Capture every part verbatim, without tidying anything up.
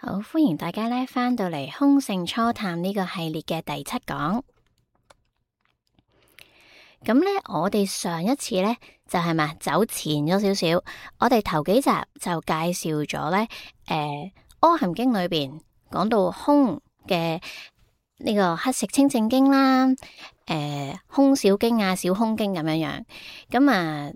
好，歡迎大家咧翻到嚟空性初探呢個系列嘅第七講。咁咧，我哋上一次咧就係嘛走前咗少少，我哋頭幾集就介紹咗咧，誒、呃《阿含經》裏邊講到空嘅呢個黑色清淨經啦，誒、呃、空小經啊、小空經咁樣樣，咁啊。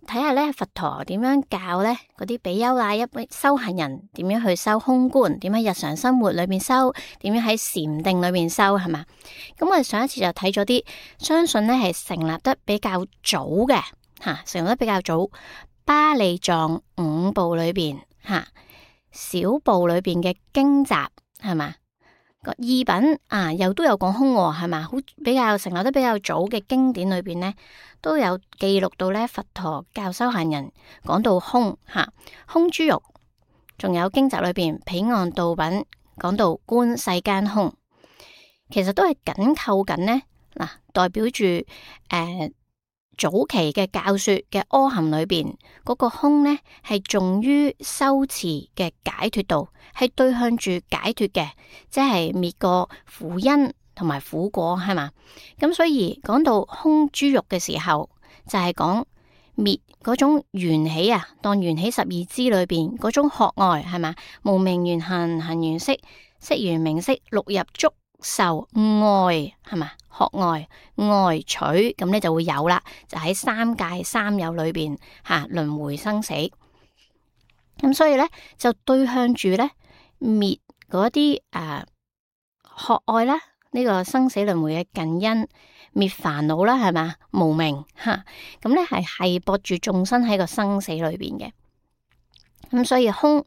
睇下咧，佛陀點樣教咧嗰啲比丘啊，一般修行人點樣去修空觀，點喺日常生活裏邊修，點樣喺禪定裏邊修，係嘛？咁我哋上一次就睇咗啲，相信咧係成立得比較早嘅吓、啊，成立得比較早，巴利藏五部裏邊吓、啊，小部裏邊嘅經集係嘛？個意品啊，又都有講空係嘛？好比較成立得比較早嘅經典裏邊咧，都有記錄到咧佛陀教修行人講到空吓、啊，空諸欲，仲有經集裏邊彼岸道品講到觀世間空，其實都係緊扣緊呢，嗱、啊，代表住誒、呃、早期嘅教說嘅阿含裏邊嗰、那個空呢，係重於修持嘅解脫道，係對向住解脫嘅，即係滅過苦因同埋苦果，係嘛？咁所以講到空諸欲嘅時候，就係講滅嗰種緣起啊，當緣起十二支裏邊嗰種渴愛，係嘛？無明緣行，行緣識，識緣名色，六入觸受愛，係嘛？渴愛愛取，咁咧就會有啦，就喺三界三有裏邊吓輪迴生死。咁所以咧就對向住咧滅嗰啲誒渴愛啦，呢、這個生死輪迴嘅近因，滅煩惱啦，係嘛？無明吓，咁咧係係搏住眾生喺個生死裏邊嘅。咁所以空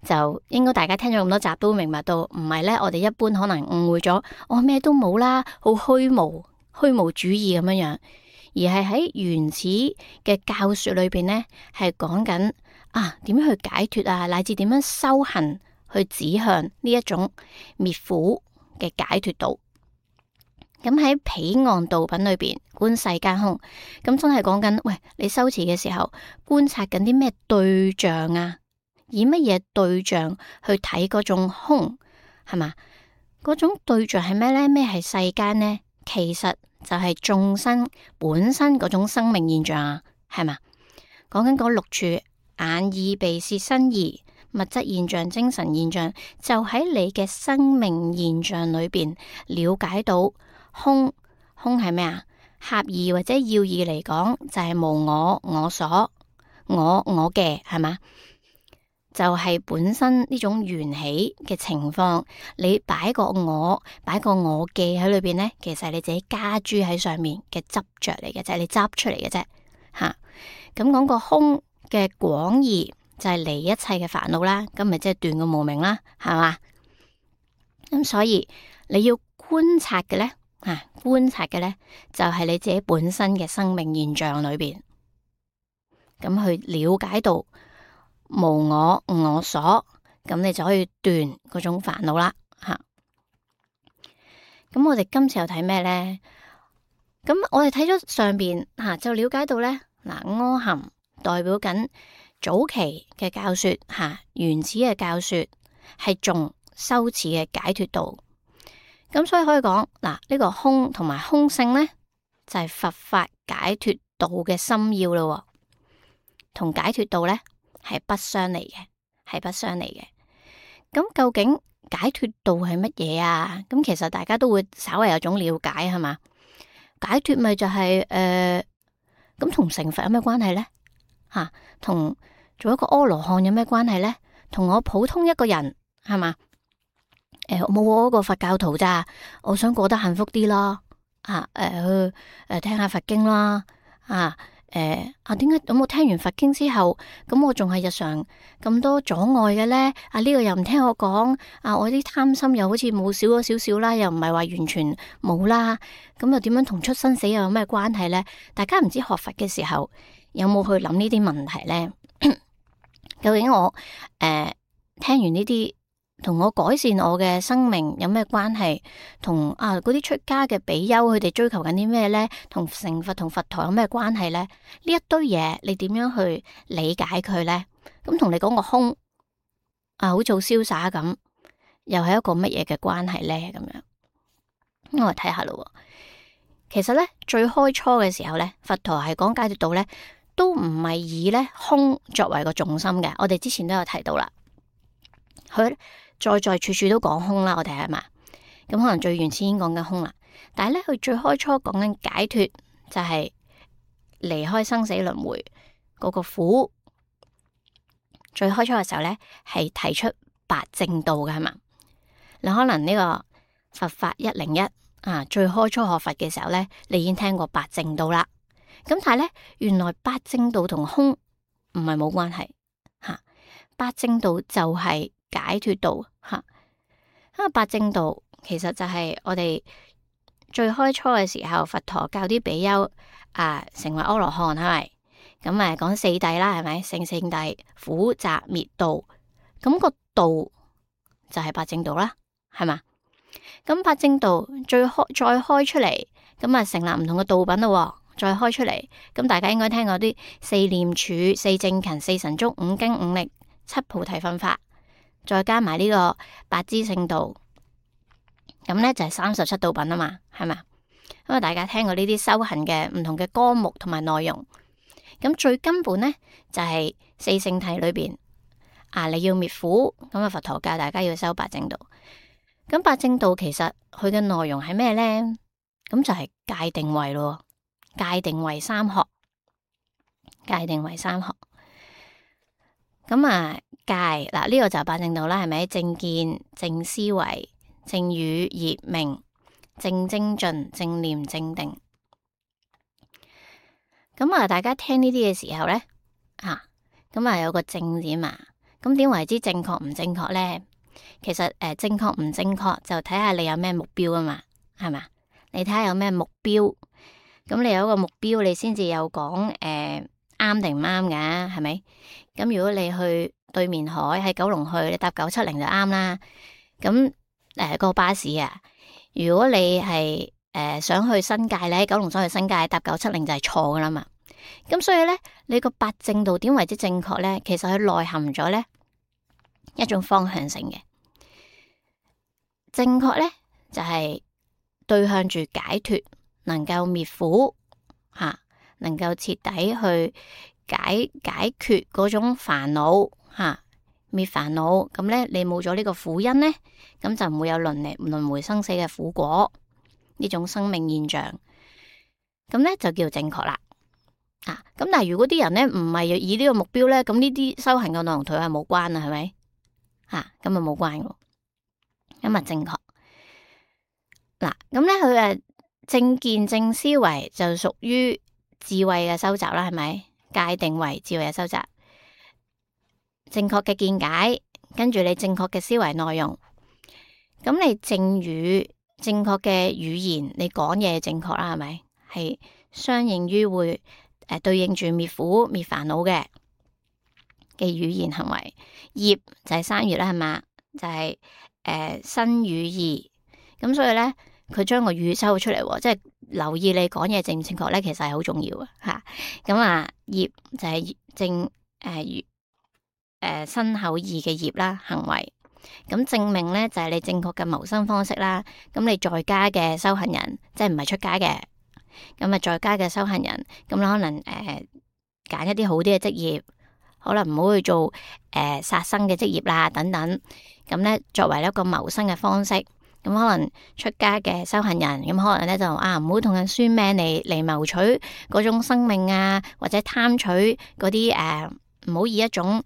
就應該大家聽咗咁多集都明白到，唔係咧我哋一般可能誤會咗，我咩都冇啦，好虛無虛無主義咁樣樣，而係喺原始嘅教說裏邊咧，係講緊啊點樣去解脫啊，乃至點樣修行去指向呢一種滅苦嘅解脫道。咁喺彼岸道品裏邊觀世間空，咁真係講緊，喂，你修持嘅時候觀察緊啲咩對象啊？以乜嘢對象去睇嗰種空，係嘛？嗰種對象係咩呢？咩係世間呢？其實就係眾生本身嗰種生命現象啊，係嘛？講緊嗰六處眼耳鼻舌身意物質現象、精神現象，就喺你嘅生命現象裏邊了解到空。空係咩啊？狹義或者要義嚟講，就係、是、無我、我所、我我嘅，係嘛？就係本身呢種緣起嘅情況，你擺個我，擺個我記喺裏邊呢，其實係你自己加諸喺上面嘅執着嚟嘅啫，你執出嚟嘅啫吓。咁講個空嘅廣義就係離一切嘅煩惱啦，咁咪即係斷個無明啦，係嘛？咁所以你要觀察嘅呢，啊觀察嘅呢，就係你自己本身嘅生命現象裏邊，咁去了解到無我我所，咁你就可以斷嗰種煩惱啦吓。咁我哋今次又睇咩呢？咁我哋睇咗上邊吓、啊，就了解到呢，嗱、啊，阿含代表緊早期嘅教說吓、啊，原始嘅教說係重修持嘅解脫道。咁所以可以講嗱，呢、這個空同埋空性呢，就係、是、佛法解脫道嘅心要咯，同解脫道呢，係不相離嘅，係不相離嘅。咁究竟解脫道係乜嘢啊？咁其實大家都會稍微有種了解，係嘛？解脫咪就係、是、誒，咁同成佛有咩關係呢？吓、啊，同做一個阿羅漢有咩關係呢？同我普通一個人係嘛？誒，冇我嗰個佛教徒咋？我想過得幸福啲啦，啊，誒、呃，去誒聽下佛經啦，啊。誒啊，點解咁我聽完佛經之後，咁我仲係日常咁多阻礙嘅呢？啊，呢、這個又唔聽我講，啊，我啲貪心又好似冇少咗少少啦，又唔係話完全冇啦，咁又點樣同出生死又有咩關係呢？大家唔知學佛嘅時候有冇去諗呢啲問題呢？究竟我誒、呃、聽完呢啲，同我改善我嘅生命有咩關係？同啊嗰啲出家嘅比丘佢哋追求緊啲咩呢？同成佛同佛陀有咩關係呢？呢一堆嘢你點樣去理解佢呢？咁同你講個空啊，好做瀟灑咁又係一個乜嘢嘅關係咧？咁樣，咁我哋睇下咯。其實咧，最開初嘅時候咧，佛陀係講解脫道咧，都唔係以咧空作為個重心嘅。我哋之前都有提到啦，佢在在處處都講空啦。我哋係嘛，咁可能最原始已經講緊空啦，但係咧佢最開初講緊解脫，就係離開生死輪迴嗰個苦。最開初嘅時候咧，係提出八正道嘅係嘛。你可能呢個佛法一零一啊，最開初學佛嘅時候咧，你已經聽過八正道啦。咁但係咧，原來八正道同空唔係冇關係吓。八正道就係解脫道吓。因為八正道其實就係我哋最開初嘅時候，佛陀教啲比丘啊成為阿羅漢係咪？咁啊講四諦啦，係咪？聖聖諦、苦集滅道，咁個道就係八正道啦，係嘛？咁八正道最開再開出嚟，咁啊成立唔同嘅道品咯，再開出嚟，咁大家應該聽過啲四念處、四正勤、四神足、五經五力、七菩提分法，再加埋呢個八支聖道，咁咧就係三十七道品啊嘛，係嘛？咁啊大家聽過呢啲修行嘅唔同嘅科目同埋內容，咁最根本咧就係四聖諦裏邊啊，你要滅苦，咁啊佛陀教大家要修八正道。咁八正道其實佢嘅內容係咩咧？咁就係戒定慧咯，戒定慧三學，戒定慧三學。咁啊戒嗱呢個就係八正道啦，係咪？正見、正思維、正語、業、名、正精進、正念、正定。咁啊，大家聽呢啲嘅時候咧，啊，咁啊有個正字嘛，咁點為之正確唔正確咧？其實誒、呃，正確唔正確就睇下你有咩目標啊嘛，係嘛？你睇下有咩目標，咁你有一個目標，你先至有講誒啱定唔啱嘅，係咪？咁如果你去對面海喺九龍去，你搭九七零就啱啦。咁誒、呃個巴士啊，如果你係誒、呃、想去新界咧，九龍想去新界搭九七零就係錯噶啦嘛。咁所以咧，你個八正道點為之正確咧？其實佢內含咗咧一種方向性嘅。正確咧就係、是、對向住解脫，能夠滅苦吓、啊，能夠徹底去解解決嗰種煩惱吓，滅煩惱。咁咧，你冇咗呢個苦因咧，咁就唔會有輪嚟輪迴生死嘅苦果呢種生命現象。咁咧就叫正確啦。啊，咁但係如果啲人咧唔係以呢個目標咧，咁呢啲修行嘅內容同佢係冇關啊，係咪？吓，咁啊冇關嘅。咁啊正確嗱，咁咧佢誒正見正思維就屬於智慧嘅收集啦，係咪？戒定慧智慧嘅收集，正確嘅見解，跟住你正確嘅思維內容，咁你正語正確嘅語言，你講嘢正確啦，係咪？係相應於會誒、呃、對應住滅苦滅煩惱嘅嘅語言行為，業就係三業啦，係嘛？就係、是。誒，身語意，咁所以咧，佢將個語收出嚟，即係留意你講嘢正唔正確咧，其實係好重要嘅吓。咁啊，業就係正誒誒身口意嘅業啦，行為。咁正命咧就係你正確嘅謀生方式啦。咁你在家嘅修行人，即係唔係出家嘅，咁啊在家嘅修行人，咁你可能誒揀、呃、一啲好啲嘅職業，可能唔好去做誒殺生嘅職業啦，等等。咁咧，作為一個謀生嘅方式，咁可能出家嘅修行人，咁可能咧就啊，唔好同人算命嚟嚟謀取嗰種生命啊，或者貪取嗰啲誒，唔好以一種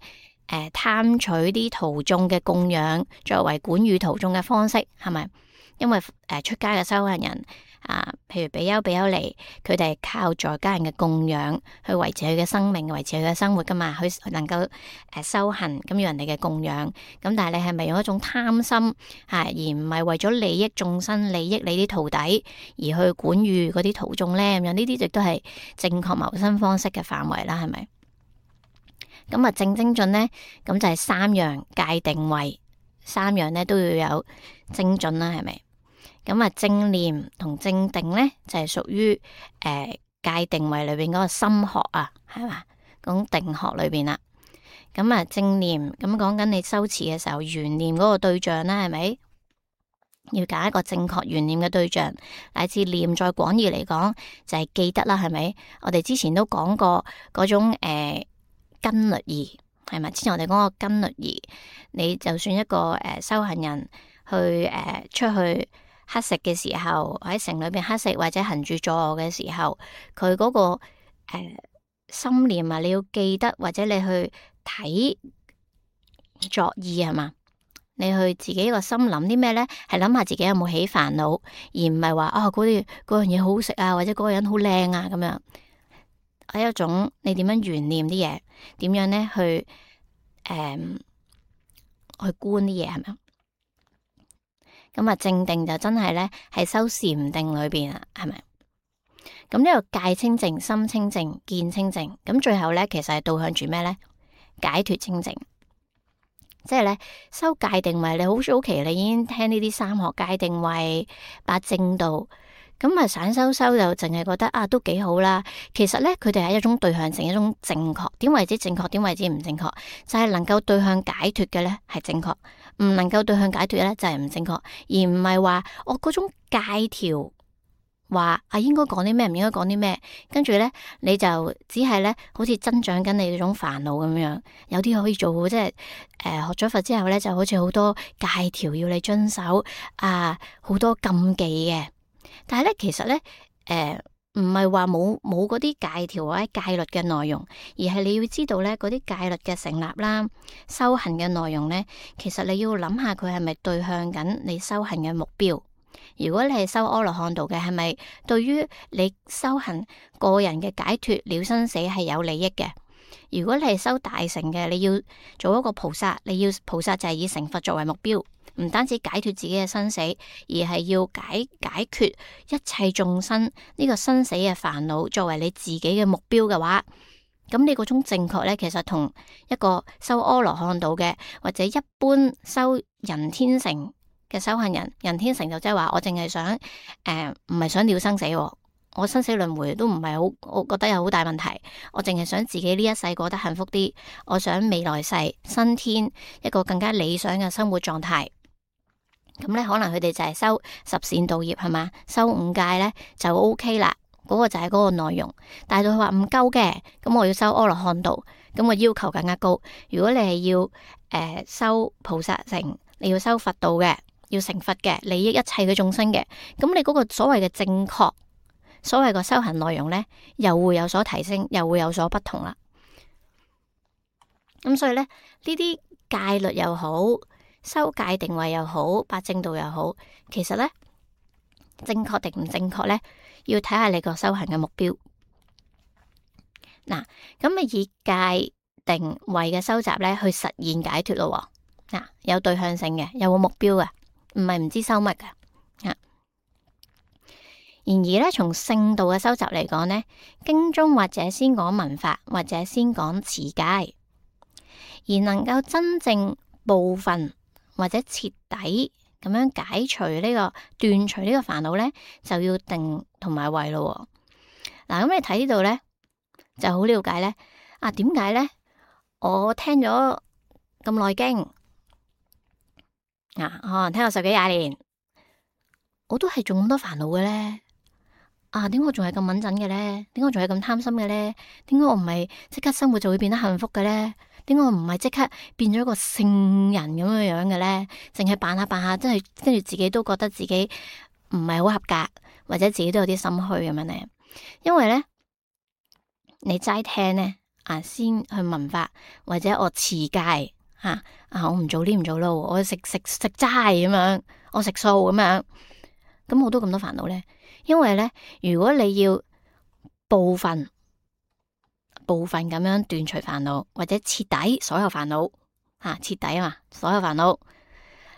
誒貪取啲徒眾嘅供養作為管予徒眾嘅方式，係咪？因為誒、呃、出家嘅修行人啊，譬如比丘比丘尼，佢哋係靠在家人嘅供養去維持佢嘅生命，維持佢嘅生活噶嘛，佢能夠誒、呃、修行，咁要人哋嘅供養。咁但係你係咪用一種貪心吓、啊，而唔係為咗利益眾生、利益你啲徒弟而去管予嗰啲徒眾咧？咁樣呢啲亦都係正確謀生方式嘅範圍啦，係咪？咁啊正精進咧，咁就係三樣戒定慧，三樣咧都要有精進啦，係咪？咁啊，正念同正定咧就係屬於誒戒定慧裏邊嗰個心學啊，係嘛？講定學裏邊啦。咁啊正念，咁講緊你修持嘅時候，緣念嗰個對象啦，係咪？要揀一個正確緣念嘅對象，乃至念再廣義嚟講，就係、是、記得啦，係咪？我哋之前都講過嗰種誒根律儀，係咪？之前我哋講過根律儀，你就算一個誒、呃、修行人去誒、呃、出去乞食嘅時候，喺城裏邊乞食或者行住坐臥嘅時候，佢嗰、那個誒、呃、心念啊，你要記得，或者你去睇作意係嘛？你去自己個心諗啲咩咧？係諗下自己有冇起煩惱，而唔係話啊嗰啲嗰樣嘢好好食啊，或者嗰個人好靚啊咁樣。係一種你點樣懸念啲嘢，點樣咧去誒、嗯、去觀啲嘢係咪？咁啊正定就真係咧係修禪定裏邊啊，係咪？咁呢個戒清淨、心清淨、見清淨，咁最後咧其實係導向住咩咧？解脫清淨。即係咧，修戒定慧，你好早期你已經聽呢啲三學戒定慧、八正道，咁啊散修修就淨係覺得啊都幾好啦。其實咧，佢哋係一種對向性，一種正確。點為之正確？點為之唔正確？就係、是、能夠對向解脫嘅咧係正確，唔能夠對向解脫咧就係唔正確，而唔係話我嗰種戒條。話啊，應該講啲咩，唔應該講啲咩，跟住咧你就只係咧，好似增長緊你嗰種煩惱咁樣。有啲可以做好，即係誒、呃、學咗佛之後咧，就好似好多戒條要你遵守啊，好多禁忌嘅。但係咧，其實咧誒唔係話冇冇嗰啲戒條或者戒律嘅內容，而係你要知道咧嗰啲戒律嘅成立啦、修行嘅內容咧，其實你要諗下佢係咪對向緊你修行嘅目標。如果你係修阿羅漢道嘅，係咪對於你修行個人嘅解脫了生死係有利益嘅？如果你係修大乘嘅，你要做一個菩薩，你要菩薩就係以成佛作為目標，唔單止解脫自己嘅生死，而係要解解決一切眾生呢個生死嘅煩惱作為你自己嘅目標嘅話，咁你嗰種正確咧，其實同一個修阿羅漢道嘅或者一般修人天乘嘅修行人，人天成就即係話我淨係想誒唔係想了生死，我生死輪迴都唔係好，我覺得有好大問題，我淨係想自己呢一世過得幸福啲，我想未來世新天一個更加理想嘅生活狀態。咁咧可能佢哋就係修十善道業係嘛，修五戒咧就 OK 啦，嗰個就係嗰個內容。但係到佢話唔夠嘅，咁我要修阿羅漢道，咁我要求更加高。如果你係要誒、呃、修菩薩乘，你要修佛道嘅。要成佛嘅，利益一切嘅眾生嘅，咁你嗰個所謂嘅正確，所謂個修行內容咧，又會有所提升，又會有所不同啦。咁所以咧，呢啲戒律又好，修戒定慧又好，八正道又好，其實咧正確定唔正確咧，要睇下你個修行嘅目標。嗱，咁啊以戒定慧嘅修習咧，去實現解脫咯。嗱，有對向性嘅，有個目標嘅。唔係唔知修乜噶，啊！然而咧，從聖道嘅修習嚟講呢，經中或者先講文法，或者先講持戒，而能夠真正部分或者徹底咁樣解除呢、這個斷除呢個煩惱呢，就要定同埋慧咯。嗱、啊，咁你睇呢度呢，就好了解呢。啊，點解呢？我聽咗咁耐經。啊，可能聽我十幾廿年，我都係仲咁多煩惱嘅咧。啊，點解我仲係咁敏感嘅咧？點解我仲係咁貪心嘅咧？點解我唔係即刻生活就會變得幸福嘅咧？點解我唔係即刻變咗一個聖人咁樣樣嘅咧？淨係扮下扮下，真係跟住自己都覺得自己唔係好合格，或者自己都有啲心虛咁樣咧。因為咧，你齋聽咧，啊，先去聞法，或者我持戒。啊！啊！我唔做呢唔做咯，我食食食齋咁樣，我食素咁樣，咁我都咁多煩惱咧。因為咧，如果你要部分部分咁樣斷除煩惱，或者徹底所有煩惱，吓徹底啊嘛，所有煩惱，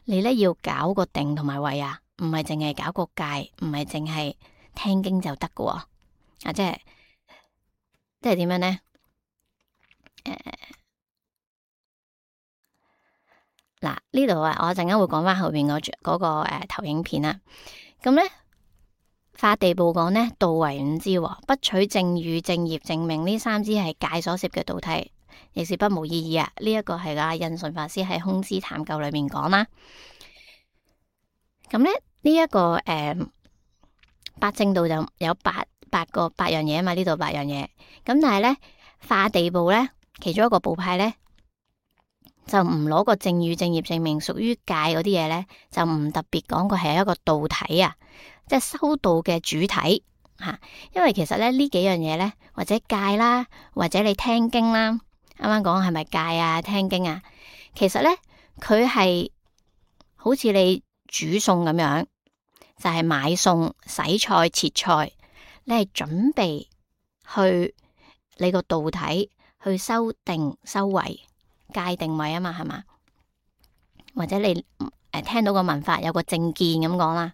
你咧要搞個定同埋慧啊，唔係淨係搞個戒，唔係淨係聽經就得噶。啊，即係即係點樣咧？誒、呃。嗱，呢度啊，我陣間會講翻後邊嗰嗰個誒、呃、投影片啦。咁咧，法地部講咧，道為五支，不取正語、正業、正命呢三支係戒所攝嘅道體。亦是不無意義啊。呢、這、一個係阿印順法師喺《空之探究》裏面講啦。咁咧呢一、這個誒、呃、八正道就有八八個八樣嘢啊嘛，呢度八樣嘢。咁但係咧化地部咧，其中一個部派咧就唔攞個正語正業證明屬於戒嗰啲嘢咧，就唔特別講過係一個道體啊，即係修道嘅主體吓、啊。因為其實咧呢幾樣嘢咧，或者戒啦，或者你聽經啦，啱啱講係咪戒啊？聽經啊，其實咧佢係好似你煮餸咁樣，就係、是、買餸、洗菜、切菜，你係準備去你個道體去修定修慧。界定位啊嘛，係嘛？或者你誒、呃、聽到個文法有個正見咁講啦，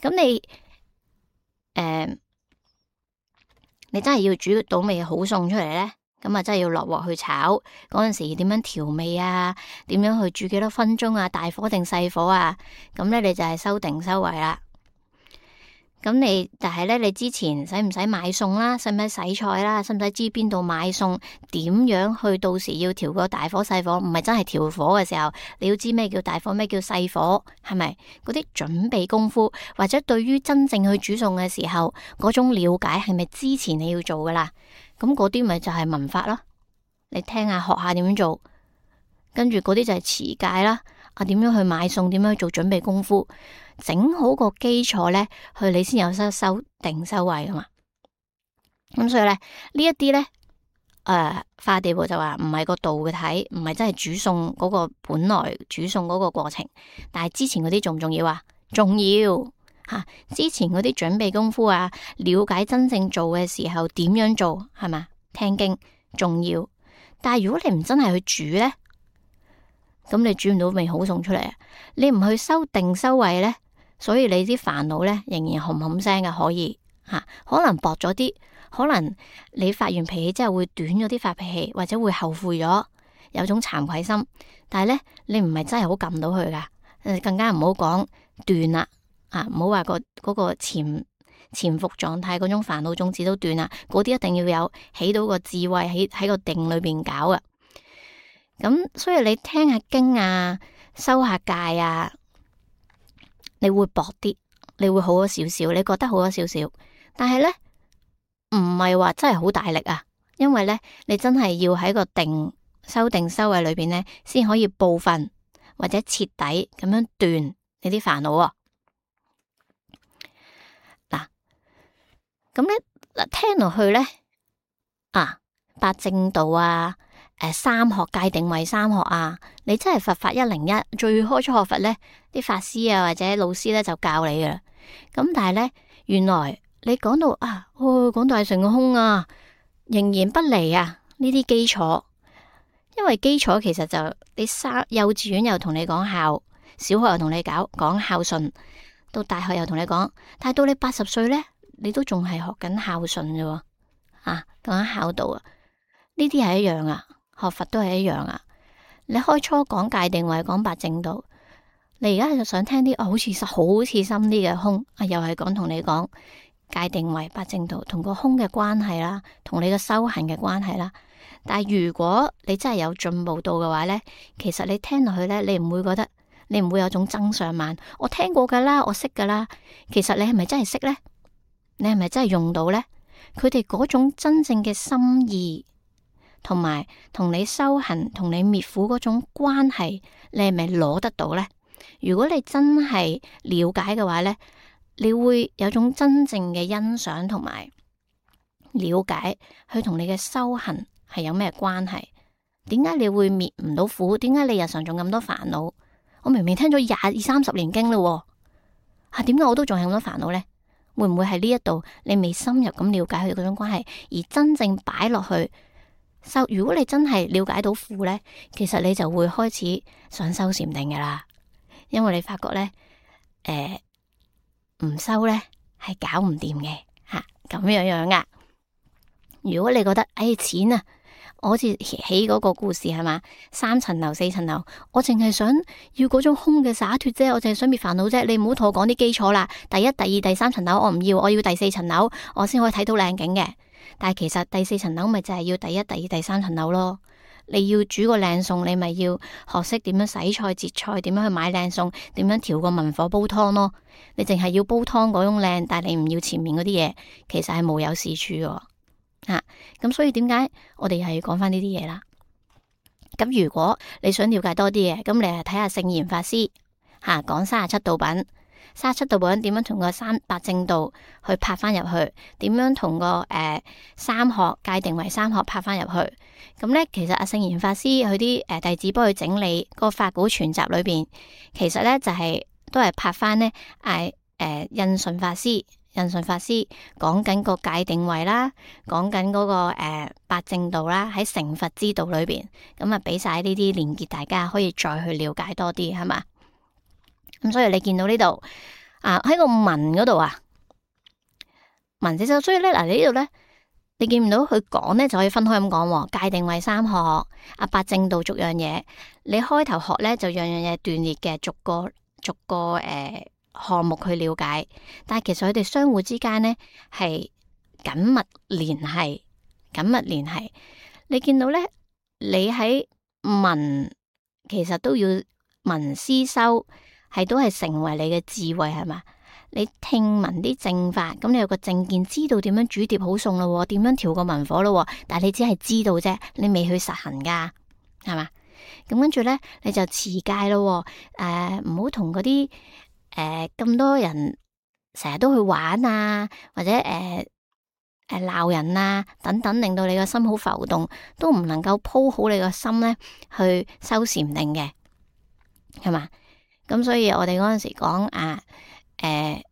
咁你誒、呃、你真係要煮到味好餸出嚟咧，咁啊真係要落鑊去炒，嗰陣時點樣調味啊？點樣去煮幾多分鐘啊？大火定細火啊？咁咧你就係修定修慧啦。咁你但係咧，你之前使唔使買餸啦？使唔使洗菜啦？使唔使知邊度買餸？點樣去到時要調個大火細火？唔係真係調火嘅時候，你要知咩叫大火，咩叫細火，係咪？嗰啲準備功夫，或者對於真正去煮餸嘅時候，嗰種了解係咪之前你要做噶啦？咁嗰啲咪就係文法咯。你聽下學下點樣做，跟住嗰啲就係持戒啦。啊，點樣去買餸？點樣去做準備功夫？整好個基礎咧，去你先有修修定修慧噶嘛。咁所以咧，呢一啲咧，誒、呃，化地部就話唔係個道嘅體，唔係真係煮餸嗰個本來煮餸嗰個過程。但係之前嗰啲重唔重要啊？重要吓、啊，之前嗰啲準備功夫啊，了解真正做嘅時候點樣做係嘛？聽經重要。但係如果你唔真係去煮咧，咁你煮唔到味好餸出嚟啊！你唔去修定修慧咧，所以你啲煩惱咧仍然冚冚聲嘅，可以吓、啊，可能薄咗啲，可能你發完脾氣之後會短咗啲發脾氣，或者會後悔咗，有種慚愧心。但係咧，你唔係真係好撳到佢噶，誒，更加唔好講斷啦，啊，唔好話個嗰個潛潛伏狀態嗰種煩惱種子都斷啦，嗰啲一定要有起到個智慧喺喺個定裏邊搞啊。咁所以你聽下經啊，修下戒啊，你會薄啲，你會好咗少少，你覺得好咗少少。但係咧，唔係話真係好大力啊，因為咧，你真係要喺個定修定修慧裏邊咧，先可以部分或者徹底咁樣斷你啲煩惱啊。嗱，咁咧嗱，聽落去咧啊，八正道啊。誒，三學戒定慧三學啊，你真係佛法一零一，最開初學佛咧，啲法師啊或者老師咧就教你噶啦。咁但係咧，原來你講到啊，哦，講到係成個空啊，仍然不離啊呢啲基礎，因為基礎其實就你三幼稚園又同你講孝，小學又同你搞講孝順，到大學又同你講，但係到你八十歲咧，你都仲係學緊孝順啫，啊，講緊孝道啊，呢啲係一樣啊。學佛都係一樣啊！你開初講戒定慧，講八正道，你而家就想聽啲哦，好似好似深啲嘅空啊，又係講同你講戒定慧、八正道同個空嘅關係啦，同你嘅修行嘅關係啦。但係如果你真係有進步到嘅話咧，其實你聽落去咧，你唔會覺得，你唔會有種增上慢。我聽過噶啦，我識噶啦。其實你係咪真係識咧？你係咪真係用到咧？佢哋嗰種真正嘅心意。同埋同你修行、同你滅苦嗰種關係，你係咪攞得到呢？如果你真係了解嘅話呢，你會有種真正嘅欣賞同埋了解，佢同你嘅修行係有咩關係？點解你會滅唔到苦？點解你日常仲咁多煩惱？我明明聽咗廿二三十年經啦，啊，點解我都仲係咁多煩惱呢？會唔會係呢一度你未深入咁了解佢哋嗰種關係，而真正擺落去？修，如果你真係了解到苦咧，其實你就會開始想修禪定噶啦，因為你發覺咧，誒、呃，唔修咧係搞唔掂嘅吓，咁樣樣噶。如果你覺得誒、哎、錢啊，我好似起嗰個故事係嘛，三層樓四層樓，我淨係想要嗰種空嘅灑脫啫，我淨係想滅煩惱啫。你唔好同我講啲基礎啦，第一、第二、第三層樓我唔要，我要第四層樓，我先可以睇到靚景嘅。但係其實第四層樓咪就係要第一、第二、第三層樓咯。你要煮個靚餸，你咪要學識點樣洗菜、切菜，點樣去買靚餸，點樣調個文火煲湯咯。你淨係要煲湯嗰種靚，但係你唔要前面嗰啲嘢，其實係無有是處嘅。吓，咁所以點解我哋係要講翻呢啲嘢啦？咁如果你想了解多啲嘢，咁你係睇下聖嚴法師吓講三十七道品。三十七道品點樣同個三八正道去拍翻入去？點樣同個誒、呃、三學界定為三學拍翻入去？咁咧，其實阿聖嚴法師佢啲誒弟子幫佢整理個法古全集裏邊，其實咧就係、是、都係拍翻咧誒誒印順法師，印順法師講緊個界定位啦，講緊嗰個誒、呃、八正道啦，喺成佛之道裏邊，咁啊俾晒呢啲連結，大家可以再去了解多啲，係嘛？咁所以你見到呢度啊，喺個文嗰度啊，文字就所以咧嗱，你呢度咧，你見唔到佢講咧就可以分開咁講，界定為三學，啊八正道逐樣嘢，你開頭學咧就樣樣嘢斷裂嘅，逐個逐個誒、呃、項目去了解，但係其實佢哋相互之間咧係緊密聯繫，緊密聯繫。你見到咧，你喺文其實都要文思修。係都係成為你嘅智慧，係嘛？你聽聞啲正法，咁你有個正見，知道點樣煮碟好餸咯，點樣調個文火咯，但係你只係知道啫，你未去實行噶，係嘛？咁跟住咧，你就持戒咯，誒唔好同嗰啲誒咁多人成日都去玩啊，或者誒誒鬧人啊等等，令到你個心好浮動，都唔能夠鋪好你個心咧去修禪定嘅，係嘛？咁所以我哋嗰陣時講啊，誒、呃、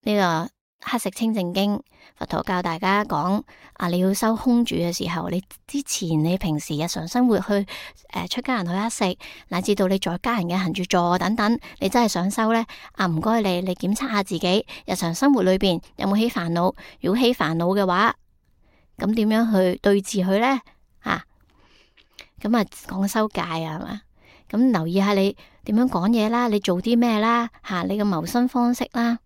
呢、這個黑食清淨經，佛陀教大家講啊，你要修空住嘅時候，你之前你平時日常生活去誒、呃、出家人去黑食，乃至到你在家人嘅行住坐等等，你真係想修咧啊，唔該你，你檢測下自己日常生活裏邊有冇起煩惱，如果起煩惱嘅話，咁點樣去對治佢咧？吓，咁啊講修戒啊，係嘛？咁留意下你點樣講嘢啦，你做啲咩啦，吓、啊、你嘅謀生方式啦，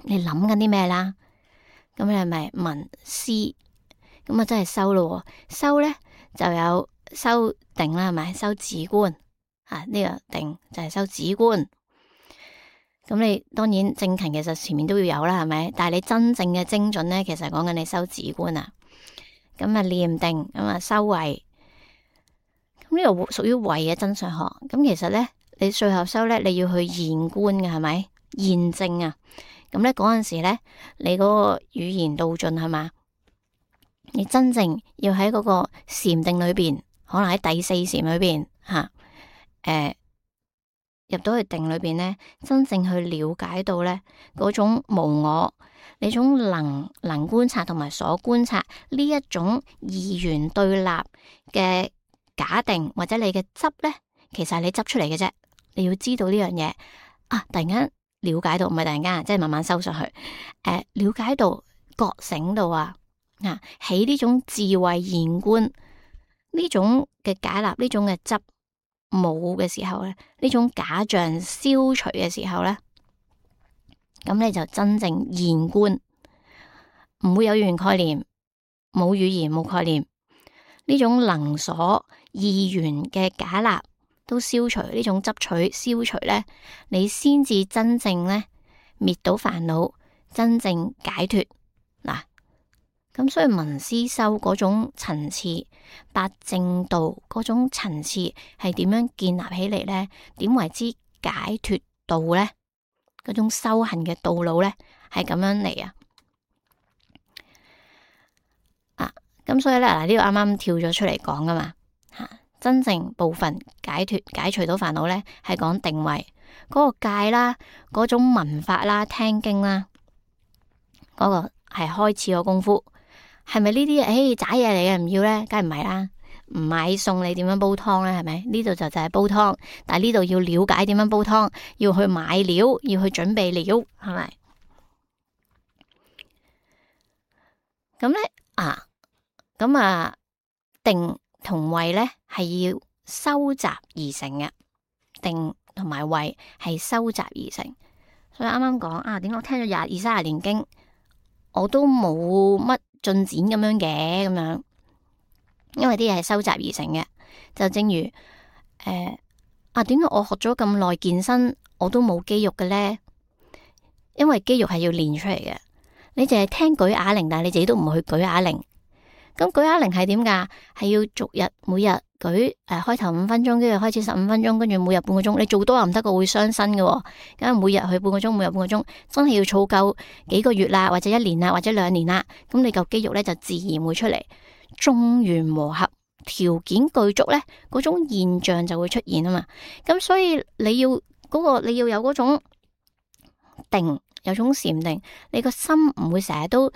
你諗緊啲咩啦？咁你係咪聞思？咁啊真係修咯，修咧就有修定啦，係咪？修止觀啊，呢、這個定就係修止觀。咁你當然正勤其實前面都要有啦，係咪？但係你真正嘅精準咧，其實講緊你修止觀啊。咁啊念定，咁啊修慧。呢個屬於慧嘅真相學，咁其實咧，你最後修咧，你要去現觀嘅，係咪？現證啊，咁咧嗰陣時咧，你嗰個語言道盡係嘛？你真正要喺嗰個禪定裏邊，可能喺第四禪裏邊吓，誒、呃、入到去定裏邊咧，真正去了解到咧嗰種無我，呢種能能觀察同埋所觀察呢一種二元對立嘅假定或者你嘅執咧，其實係你執出嚟嘅啫。你要知道呢樣嘢啊，突然間了解到，唔係突然間，即係慢慢收上去。誒、呃，了解到覺醒到啊，啊，起呢種智慧現觀，呢種嘅解納，呢種嘅執冇嘅時候咧，呢種假象消除嘅時候咧，咁你就真正現觀，唔會有語言概念，冇語言冇概念，呢種能所二元嘅假立都消除，呢種執取消除咧，你先至真正咧滅到煩惱，真正解脫嗱。咁所以聞思修嗰種層次，八正道嗰種層次係點樣建立起嚟咧？點為之解脫道咧？嗰種修行嘅道路咧係咁樣嚟啊！啊，咁所以咧嗱，呢個啱啱跳咗出嚟講噶嘛吓。真正部分解脫解除到煩惱咧，係講定位嗰個戒啦，嗰種聞法啦、聽經啦，嗰個係開始個功夫，係咪呢啲誒渣嘢嚟嘅唔要咧？梗係唔係啦，唔買餸你點樣煲湯咧？係咪？呢度就就係煲湯，但係呢度要了解點樣煲湯，要去買料，要去準備料，係咪？咁咧啊，咁啊定同慧咧係要收集而成嘅，定同埋慧係收集而成。所以啱啱講啊，點解我聽咗廿二三十年經，我都冇乜進展咁樣嘅咁樣，因為啲嘢係收集而成嘅。就正如誒、呃、啊，點解我學咗咁耐健身我都冇肌肉嘅咧？因為肌肉係要練出嚟嘅。你淨係聽舉啞鈴，但係你自己都唔去舉啞鈴。咁舉啞鈴係點噶？係要逐日每日舉誒、呃，開頭五分鐘，跟住開始十五分鐘，跟住每日半個鐘。你做多又唔得個，會傷身嘅。咁每日去半個鐘，每日半個鐘，真係要儲夠幾個月啦，或者一年啦，或者兩年啦。咁你嚿肌肉咧就自然會出嚟。眾緣和合，條件具足咧，嗰種現象就會出現啊嘛。咁所以你要嗰、嗰個你要有嗰種定，有種禪定，你個心唔會成日都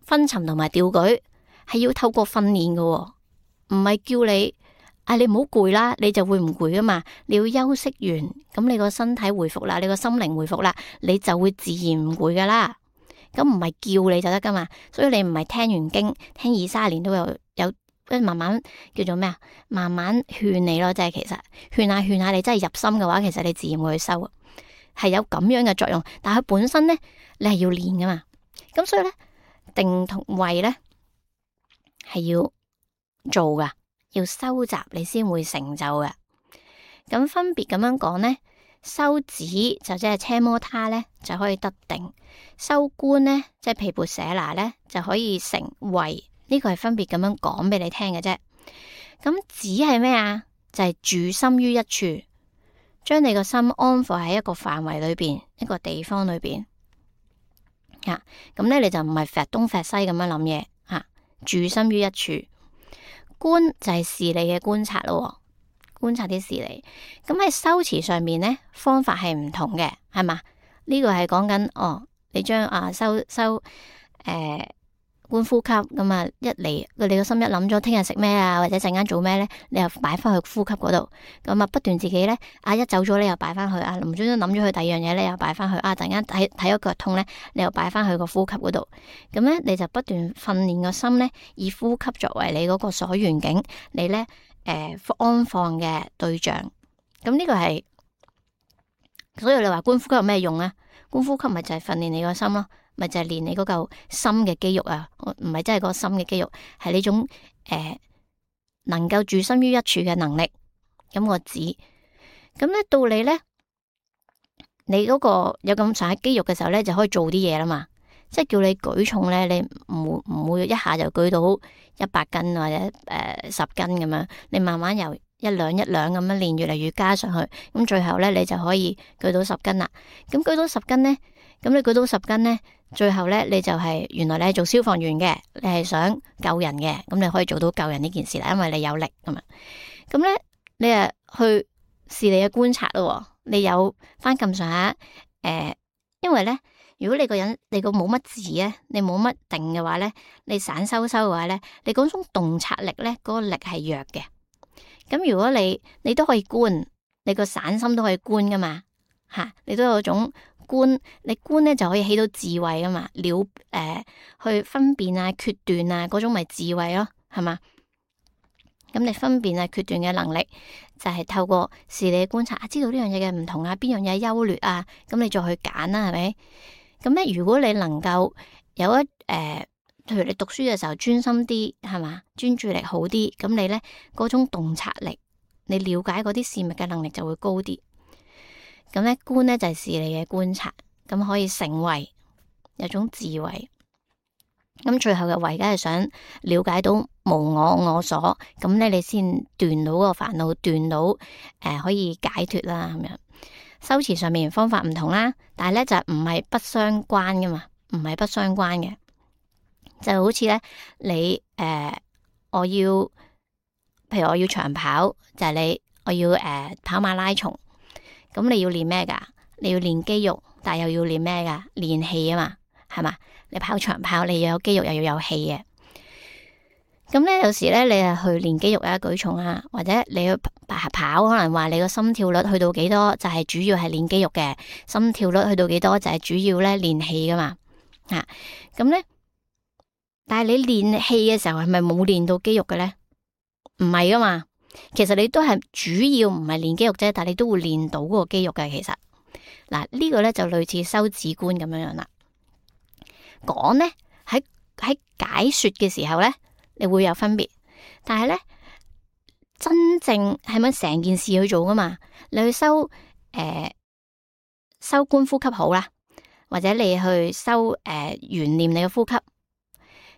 昏沉同埋掉舉。係要透過訓練嘅，唔係叫你啊，你唔好攰啦，你就會唔攰噶嘛。你要休息完，咁你個身體回復啦，你個心靈回復啦，你就會自然唔攰噶啦。咁唔係叫你就得噶嘛。所以你唔係聽完經聽二三年都有有，慢慢叫做咩啊？慢慢勸你咯，即係其實勸下勸下，你真係入心嘅話，其實你自然會去收，係有咁樣嘅作用。但係佢本身咧，你係要練噶嘛。咁所以咧，定同慧咧。係要做噶，要收集你先會成就嘅。咁分別咁樣講呢，修止就即係奢摩他咧，就可以得定；修觀呢，即係毗缽舍那咧，就可以成慧。呢個係分別咁樣講俾你聽嘅啫。咁止係咩啊？就係住心於一處，將你個心安放喺一個範圍裏邊，一個地方裏邊。啊，咁咧你就唔係揈東揈西咁樣諗嘢。住心於一處，觀就係事理嘅觀察咯，觀察啲事理。咁喺修持上面呢，方法係唔同嘅，係嘛？呢、這個係講緊哦，你將啊修修誒、呃、觀呼吸咁啊，一嚟佢你個心一諗咗聽日食咩啊，或者陣間做咩咧，你又擺翻去呼吸嗰度，咁啊不斷自己咧啊一走咗你又擺翻去啊，唔專登諗咗去第二樣嘢咧又擺翻去啊，突然間睇睇咗腳痛咧，你又擺翻去個呼吸嗰度，咁咧你就不斷訓練個心咧，以呼吸作為你嗰個所緣境，你咧誒、呃、安放嘅對象。咁呢個係，所以你話觀呼吸有咩用啊？觀呼吸咪就係訓練你個心咯。咪就係練你嗰嚿心嘅肌肉啊，唔係真係個心嘅肌肉，係呢種誒、呃、能夠住心於一處嘅能力。咁我指，咁咧到你咧，你嗰個有咁上下肌肉嘅時候咧，就可以做啲嘢啦嘛。即係叫你舉重咧，你唔唔會一下就舉到一百斤或者誒、呃、十斤咁樣，你慢慢由一兩一兩咁樣練，越嚟越加上去，咁最後咧你就可以舉到十斤啦。咁舉到十斤咧，咁你舉到十斤咧。最後咧，你就係、是、原來你係做消防員嘅，你係想救人嘅，咁你可以做到救人呢件事啦，因為你有力咁啊。咁咧，你啊去視你嘅觀察咯，你有翻咁上下誒，因為咧，如果你個人你個冇乜字咧，你冇乜定嘅話咧，你散收收嘅話咧，你嗰種洞察力咧，嗰、那個力係弱嘅。咁如果你你都可以觀，你個散心都可以觀噶嘛，吓、啊、你都有種。觀你觀咧就可以起到智慧噶嘛，了誒、呃、去分辨啊、決斷啊嗰種咪智慧咯，係嘛？咁你分辨啊、決斷嘅能力就係、是、透過視理觀察啊，知道呢樣嘢嘅唔同啊，邊樣嘢優劣啊，咁你再去揀啦，係咪？咁咧，如果你能夠有一誒、呃，譬如你讀書嘅時候專心啲，係嘛？專注力好啲，咁你咧嗰種洞察力，你了解嗰啲事物嘅能力就會高啲。咁咧觀咧就係視理嘅觀察，咁可以成為有種智慧。咁最後嘅慧，梗係想了解到無我我所，咁咧你先斷到個煩惱，斷到誒、呃、可以解脫啦。咁樣修持上面方法唔同啦，但係咧就唔係不相關噶嘛，唔係不相關嘅，就好似咧你誒、呃、我要，譬如我要長跑，就係、是、你我要誒、呃、跑馬拉松。咁你要練咩噶？你要練肌肉，但係又要練咩噶？練氣啊嘛，係嘛？你跑長跑，你要有肌肉，又要有氣嘅。咁咧，有時咧，你係去練肌肉啊、舉重啊，或者你去跑，可能話你個心跳率去到幾多，就係、是、主要係練肌肉嘅；心跳率去到幾多，就係、是、主要咧練氣噶嘛。吓、啊，咁咧，但係你練氣嘅時候，係咪冇練到肌肉嘅咧？唔係噶嘛。其實你都係主要唔係練肌肉啫，但係你都會練到嗰個肌肉嘅。其實嗱，呢個咧就類似修止觀咁樣樣啦。講咧喺喺解說嘅時候咧，你會有分別。但係咧，真正係咪成件事去做噶嘛？你去修誒、呃、修觀呼吸好啦，或者你去修誒懸念你嘅呼吸。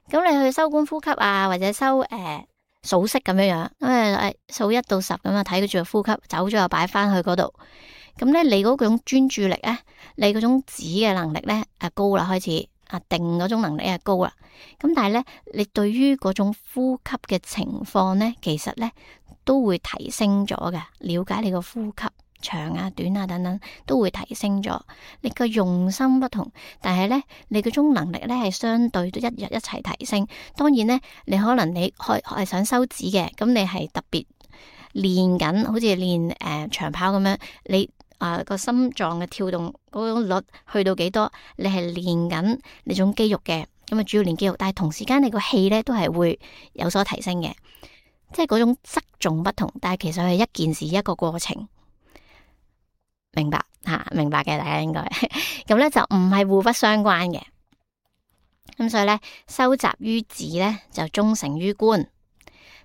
咁你去修觀呼吸啊，或者修誒數息咁樣樣，咁誒數一到十咁啊，睇住個呼吸，走咗又擺翻去嗰度。咁咧，你嗰種專注力咧，你嗰種止嘅能力咧，啊高啦，開始啊定嗰種能力係高啦。咁但係咧，你對於嗰種呼吸嘅情況咧，其實咧都會提升咗嘅。了解你個呼吸長啊、短啊等等，都會提升咗。你個用心不同，但係咧，你嗰種能力咧係相對都一日一齊提升。當然咧，你可能你開係想收止嘅，咁你係特別練緊，好似練誒、呃、長跑咁樣，你。啊，個心臟嘅跳動嗰種率去到幾多？你係練緊你種肌肉嘅，咁啊主要練肌肉，但係同時間你個氣咧都係會有所提升嘅，即係嗰種側重不同，但係其實係一件事一個過程，明白吓、啊？明白嘅，大家應該咁咧就唔係互不相關嘅，咁所以咧收集於止咧就終成於觀，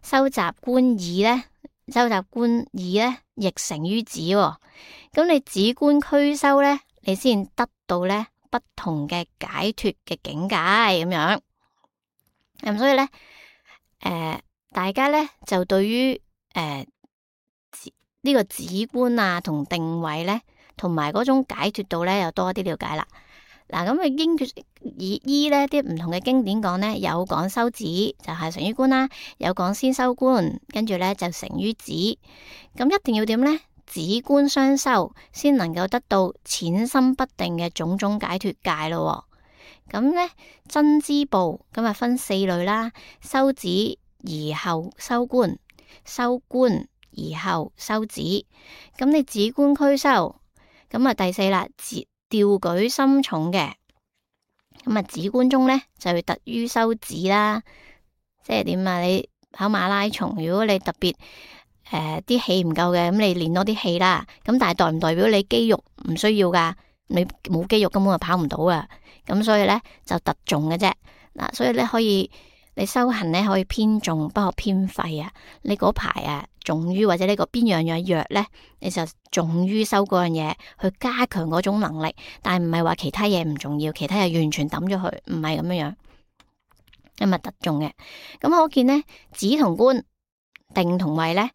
收集觀意咧。收集觀意咧，亦成於止。咁你止觀俱修咧，你先得到咧不同嘅解脫嘅境界咁樣。咁所以咧，誒、呃，大家咧就對於誒、呃這個、呢個止觀啊，同定位咧，同埋嗰種解脫度咧，又多啲了解啦。嗱，咁啊，經以依咧啲唔同嘅經典講咧，有講修止就係成於觀啦，有講先修觀，跟住咧就成於止。咁一定要點咧？止觀雙修，先能夠得到淺心不定嘅種種解脫界咯。咁咧真知部咁啊分四類啦：修止而後修觀，修觀而後修止。咁你止觀俱修，咁啊第四啦，止。調舉深重嘅，咁啊止觀中咧就會特於修止啦，即係點啊？你跑馬拉松，如果你特別誒啲氣唔夠嘅，咁你練多啲氣啦。咁但係代唔代表你肌肉唔需要噶？你冇肌肉根本就跑唔到啊。咁所以咧就特重嘅啫。嗱，所以咧可以你修行咧可以偏重，不可偏廢啊。你嗰排啊重於或者呢個邊樣樣弱咧，你就重於修嗰樣嘢，去加強嗰種能力。但係唔係話其他嘢唔重要，其他嘢完全抌咗佢，唔係咁樣樣，咁啊特重嘅。咁可見咧，止同觀、定同位咧，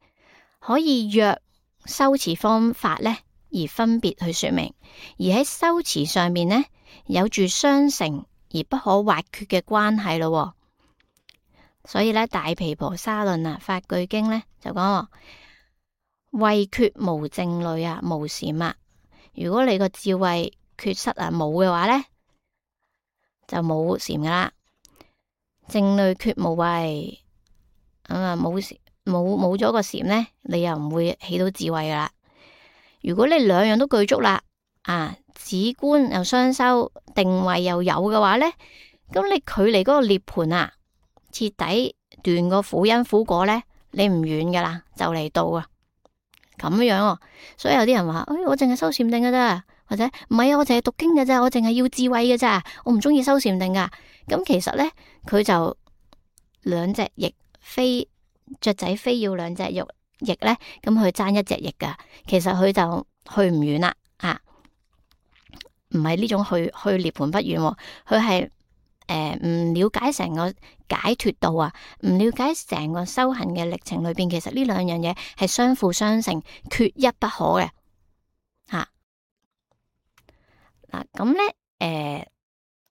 可以若修持方法咧而分別去說明，而喺修持上面咧有住相成而不可或缺嘅關係咯。所以咧，《大毗婆沙論》啊，《法句經》咧就講，慧缺無靜慮啊，無禪啊。如果你個智慧缺失啊冇嘅話咧，就冇禪噶啦。靜慮缺無慧，咁啊冇冇冇咗個禪咧，你又唔會起到智慧噶啦。如果你兩樣都具足啦，啊止觀又雙修，定位又有嘅話咧，咁你距離嗰個涅槃啊，徹底斷個苦因苦果咧，你唔遠噶啦，就嚟到啊，咁樣哦。所以有啲人話，誒，我淨係修禪定噶咋，或者唔係啊，我淨係讀經噶咋，我淨係要智慧噶咋，我唔中意修禪定噶。咁其實咧，佢就兩隻翼飛，雀仔飛要兩隻翼翼咧，咁佢爭一隻翼噶。其實佢就去唔遠啦，啊，唔係呢種去去涅槃不遠，佢係。誒，唔、呃、了解成個解脫道啊，唔了解成個修行嘅歷程裏邊，其實呢兩樣嘢係相輔相成，缺一不可嘅吓。嗱咁咧，誒、呃，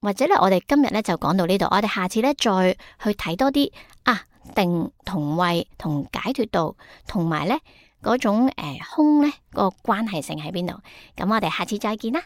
或者咧，我哋今日咧就講到呢度，我哋下次咧再去睇多啲啊，定同位同解脫道，同埋咧嗰種誒、呃、空咧、嗰個關係性喺邊度？咁我哋下次再見啦。